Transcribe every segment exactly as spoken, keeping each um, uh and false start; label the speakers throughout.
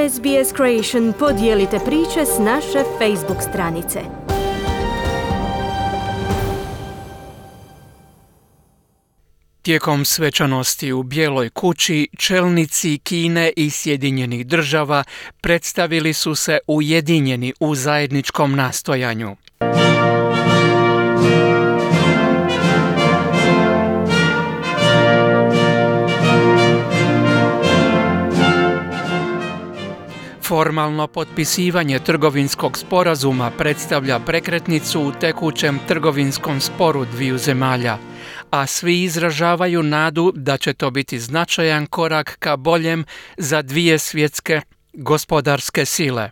Speaker 1: S B S Creation podijelite priče s naše Facebook stranice.
Speaker 2: Tijekom svečanosti u Bijeloj kući, čelnici Kine i Sjedinjenih država predstavili su se ujedinjeni u zajedničkom nastojanju. Formalno potpisivanje trgovinskog sporazuma predstavlja prekretnicu u tekućem trgovinskom sporu dviju zemalja, a svi izražavaju nadu da će to biti značajan korak ka boljem za dvije svjetske gospodarske sile.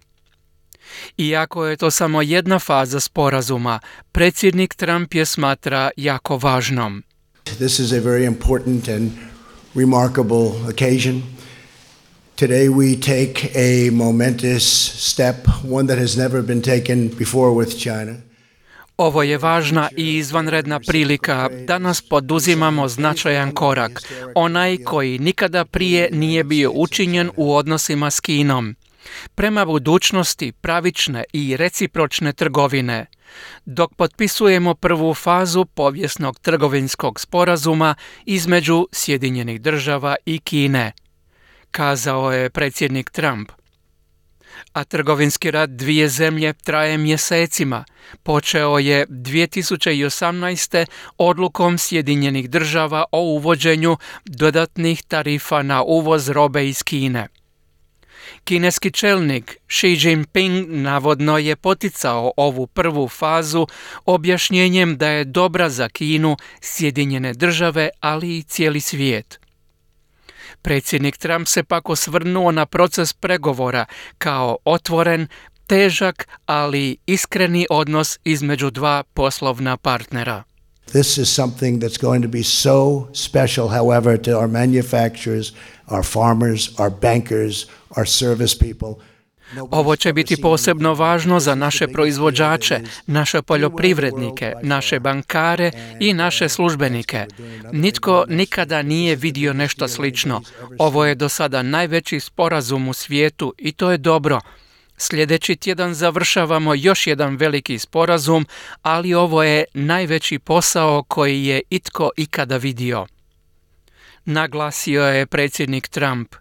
Speaker 2: Iako je to samo jedna faza sporazuma, predsjednik Trump je smatra jako važnom.
Speaker 3: This is a very important and remarkable occasion. Today we take a momentous step, one that has never been taken before with China.
Speaker 2: Ovo je važna i izvanredna prilika. Danas poduzimamo značajan korak, onaj koji nikada prije nije bio učinjen u odnosima s Kinom, prema budućnosti pravične i recipročne trgovine, dok potpisujemo prvu fazu povijesnog trgovinskog sporazuma između Sjedinjenih država i Kine, kazao je predsjednik Trump. A trgovinski rat dvije zemlje traje mjesecima. Počeo je dvije tisuće osamnaeste. odlukom Sjedinjenih država o uvođenju dodatnih tarifa na uvoz robe iz Kine. Kineski čelnik Xi Jinping navodno je poticao ovu prvu fazu objašnjenjem da je dobra za Kinu, Sjedinjene države, ali i cijeli svijet. Predsjednik Trump se pak osvrnuo na proces pregovora kao otvoren, težak, ali iskreni odnos između dva poslovna partnera.
Speaker 3: This is something that's going to be so special, however, to our manufacturers, our farmers, our bankers, our service people.
Speaker 2: Ovo će biti posebno važno za naše proizvođače, naše poljoprivrednike, naše bankare i naše službenike. Nitko nikada nije vidio nešto slično. Ovo je do sada najveći sporazum u svijetu i to je dobro. Sljedeći tjedan završavamo još jedan veliki sporazum, ali ovo je najveći posao koji je itko ikada vidio, naglasio je predsjednik Trump.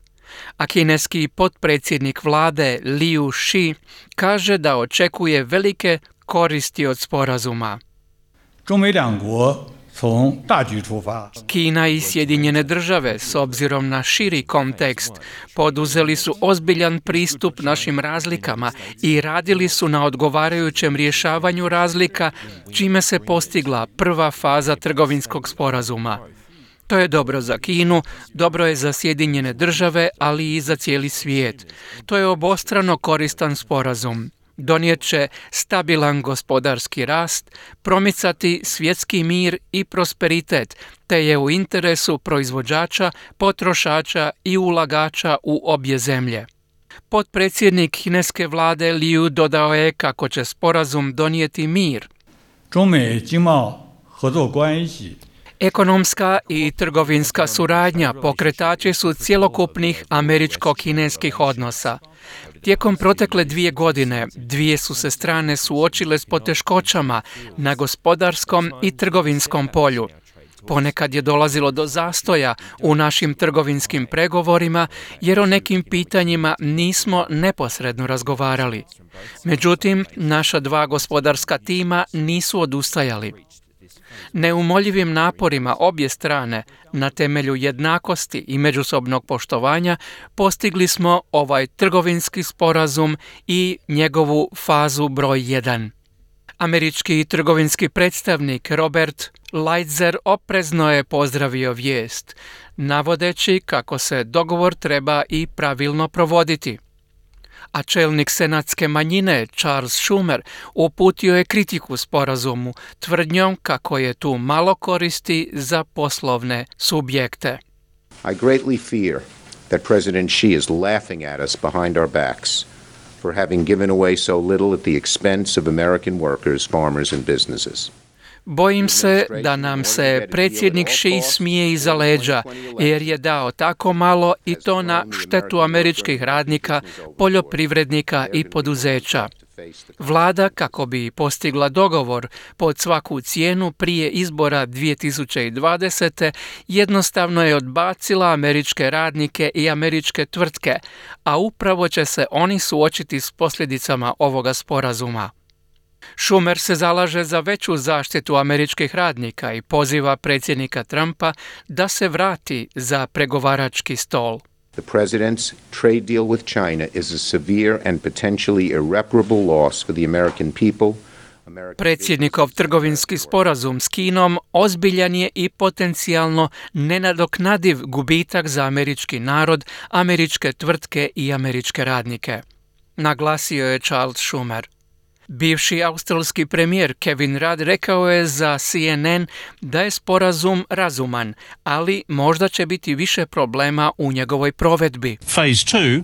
Speaker 2: A kineski potpredsjednik vlade Liu Shi kaže da očekuje velike koristi od sporazuma. Kina i Sjedinjene države, s obzirom na širi kontekst, poduzeli su ozbiljan pristup našim razlikama i radili su na odgovarajućem rješavanju razlika, čime se postigla prva faza trgovinskog sporazuma. To je dobro za Kinu, dobro je za Sjedinjene države, ali i za cijeli svijet. To je obostrano koristan sporazum. Donijet će stabilan gospodarski rast, promicati svjetski mir i prosperitet, te je u interesu proizvođača, potrošača i ulagača u obje zemlje. Potpredsjednik kineske vlade Liu dodao je kako će sporazum donijeti mir. Ekonomska i trgovinska suradnja pokretači su cjelokupnih američko-kineskih odnosa. Tijekom protekle dvije godine, dvije su se strane suočile s poteškoćama na gospodarskom i trgovinskom polju. Ponekad je dolazilo do zastoja u našim trgovinskim pregovorima jer o nekim pitanjima nismo neposredno razgovarali. Međutim, naša dva gospodarska tima nisu odustajali. Neumoljivim naporima obje strane na temelju jednakosti i međusobnog poštovanja postigli smo ovaj trgovinski sporazum i njegovu fazu broj jedan. Američki trgovinski predstavnik Robert Lighthizer oprezno je pozdravio vijest, navodeći kako se dogovor treba i pravilno provoditi. A čelnik senatske manjine Charles Schumer uputio je kritiku sporazumu, tvrdnjom kako je tu malo koristi za poslovne subjekte.
Speaker 4: I greatly fear that President Xi is laughing at us behind our backs for having given away so little at the expense of American workers, farmers and businesses.
Speaker 2: Bojim se da nam se predsjednik Xi smije iza leđa, jer je dao tako malo i to na štetu američkih radnika, poljoprivrednika i poduzeća. Vlada, kako bi postigla dogovor pod svaku cijenu prije izbora dvije tisuće dvadesete. jednostavno je odbacila američke radnike i američke tvrtke, a upravo će se oni suočiti s posljedicama ovoga sporazuma. Schumer se zalaže za veću zaštitu američkih radnika i poziva predsjednika Trumpa da se vrati za pregovarački stol.
Speaker 4: The president's trade deal with China is a severe and potentially irreparable loss for the American people.
Speaker 2: Predsjednikov trgovinski sporazum s Kinom ozbiljan je i potencijalno nenadoknadiv gubitak za američki narod, američke tvrtke i američke radnike, naglasio je Charles Schumer. Bivši australski premijer Kevin Rudd rekao je za C N N da je sporazum razuman, ali možda će biti više problema u njegovoj provedbi.
Speaker 5: Phase two,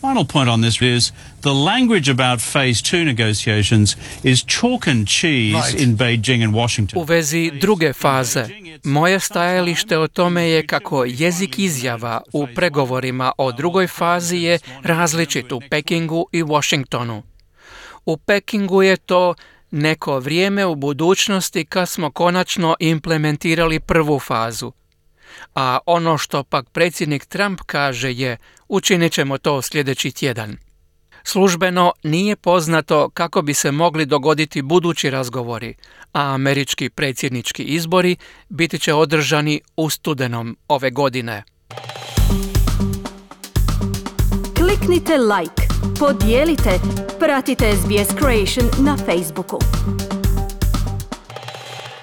Speaker 5: final point on this is the language about phase two negotiations is chalk and cheese right. in Beijing and Washington.
Speaker 2: U vezi druge faze, moje stajalište o tome je kako jezik izjava u pregovorima o drugoj fazi je različit u Pekingu i Washingtonu. U Pekingu je to neko vrijeme u budućnosti kad smo konačno implementirali prvu fazu. A ono što pak predsjednik Trump kaže je učinit ćemo to sljedeći tjedan. Službeno nije poznato kako bi se mogli dogoditi budući razgovori, a američki predsjednički izbori biti će održani u studenom ove godine.
Speaker 1: Kliknite like, podijelite, pratite S B S Creation na Facebooku.